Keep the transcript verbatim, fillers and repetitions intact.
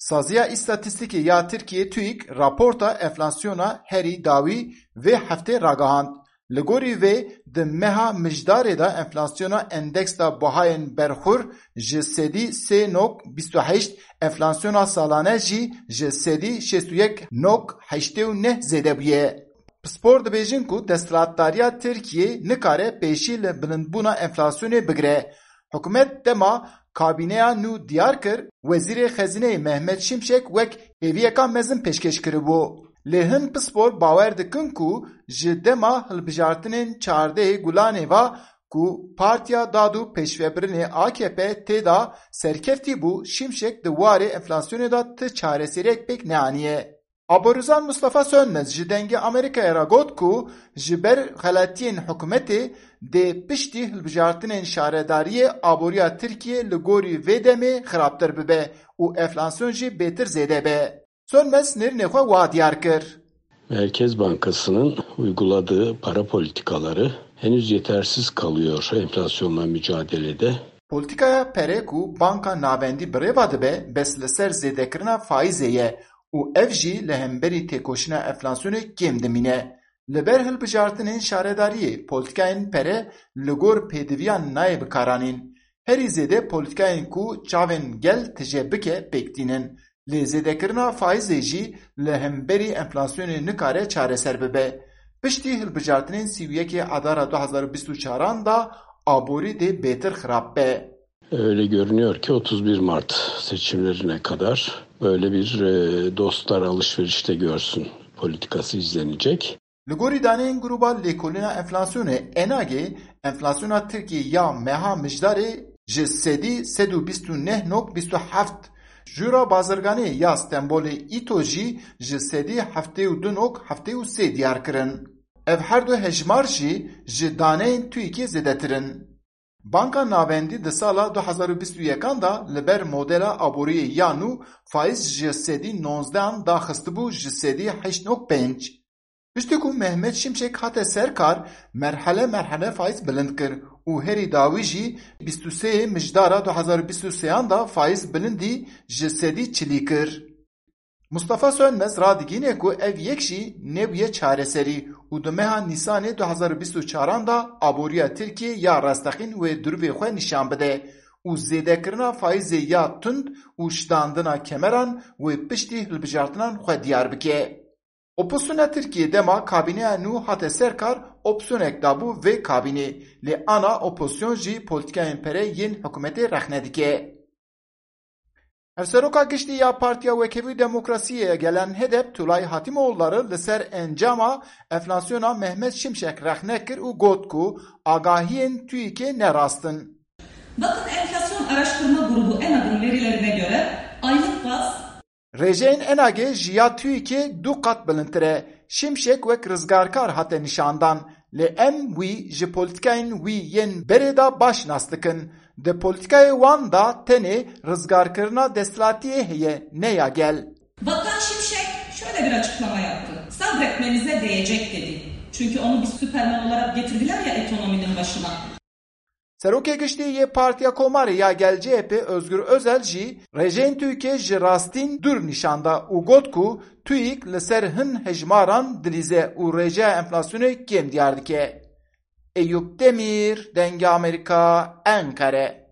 Saziya Îstatîstîkê ya Tirkiyê TÜİK raporta enflasyona herî dawî vê heftê ragihand. Li gorî vê, di meha Mijdarê de enflasyona endeksa buhayên berxur ji sedî sê nok bîst û heşt, enflasyona salane jî ji sedî şêst û yek nok heştê û neh zêde bûye. Pispor dibêjin ku desthilatdariya Tirkiyê nikare pêşî li bilindbûna enflasyonê bigire. Hikûmet dema kabîneya nû diyar kir, Wezîrê Xezîneyê Mehmet Şimşek wek hêviyeka mezin pêşkêş kiribû. Lê hin pispor bawer dikin ku ji dema hilbijartinên çardehê Gulanê ve ku Partiya Dad û Pêşvebirinê A K P tê de serkeftî bû, Şimşek di warê enflasyonê de ti çareseriyek pêk neaniye. Aborîzan Mustafa Sönmez ji Dengê Amerîkayê re got ku ji ber xeletiyên hikûmetê dê piştî hilbijartinên şaredariyê aboriya Tirkiyê li gorî vê demê xirabtir bibe û enflasyon jî bêtir zêde be. Sönmez nêrînê xwe wa diyar kir. Merkez Bankası'nın uyguladığı para politikaları henüz yetersiz kalıyor enflasyonla mücadelede. Polîtîkaya pere ku Banka Navendî bi rê ve dibe, bes li ser zêdekirina faîzê ye û ev jî li hemberî têkoşîna enflasyonê kêm dimîne. Li ber hilbijartinên şaredariyê, polîtîkayên pere li gor pêdiviyan nayê bikaranîn. Herî zêde polîtîkayên ku çavên gel tije bike pêk tînin. Lê zêdekirina faîzê jî li hemberî enflasyonê nikare çareser bibe. Piştî hilbijartinên sî û yekê Adara du hazar û bîst û çaran de aborî dê bêtir xirab be. Öyle görünüyor ki otuz bir Mart seçimlerine kadar böyle bir, e, dostlar alışverişte görsün politikası izlenecek. Li gorî daneyên Grûba Lêkolîna Enflasyonê, ENAGê, enflasyona Tirkiyê ya meha Mijdarê ji sedî sed û bîst û neh nok bîst û heft, Jûra Bazirganê ya Stenbolê, îto, jî ji sedî heftê û du nok heftê û sê diyar kirin. Ev her du hejmar jî ji daneyên TÜİKê zêdetir in. Banka Navendî di sala du hazar û bîst û yekan de li ber modela aboriyê ya nû faîz ji sedî nozdehan daxistibû ji sedî heşt nok pênc. Piştî ku Mehmet Şimşek hate ser kar, merhele merhele faîz bilind kir û herî dawî jî bîst û sê Mijdara du hazar û bîst û sêyan de faîz bilindî ji sedî çilî kir. Mustafa Sönmez radigîne ku ev yek jî nebûye çareserî û di meha Nîsanê du hazar û bîst û çaran de aboriya Tirkiyê ya rastexîn wê durvê xwe nîşan bide û zêdekirina faîzê ya tund û ştandina kemeran wê piştî hilbijartinan xwe diyar bike. Opozisyona Tirkiyê dema kabîneya nû hate ser kar, opsyonek dabû vê kabînê, lê ana opozisyon jî polîtîkayên pere yên hikûmetê rexne dike. Hevseroka giştî ya Partiya Wekhevî û Demokrasiyê ya Gelen, HEDEP, Tulay Hatimoğulları li ser encama enflasyona Mehmet Şimşek rexne kir û got ku agahiyên TÜİKê ne rast in. Bakın, enflasyon araştırma grubu ENAG'ın verilerine göre aylık baz Rêjeyên ENAGê ji ya TÜİKê du qat bilindtir e. Şimşek wek rizgarkar hate nîşandan, lê em wî ji polîtîkayên wî yên berê de baş nas dikin. Di polîtîkayê wan de tenê rizgarkirina desthilatiyê heye, ne ya gel. Bakan Şimşek şöyle bir açıklama yaptı. Sabretmenize değecek dedi. Çünkü onu bir Süperman olarak getirdiler ya ekonominin başına. Serokê Giştî yê Partiya Komarê ya Gel, CHP, Özgür Özel jî rêjeyên TÜİKê ji rastîn dûr nîşan da û got ku TÜİK li ser hin hejmaran dilîze û rêjeya enflasyonê kêm diyar dike. Eyûp Demîr, Dengê Amerîka, Enqere.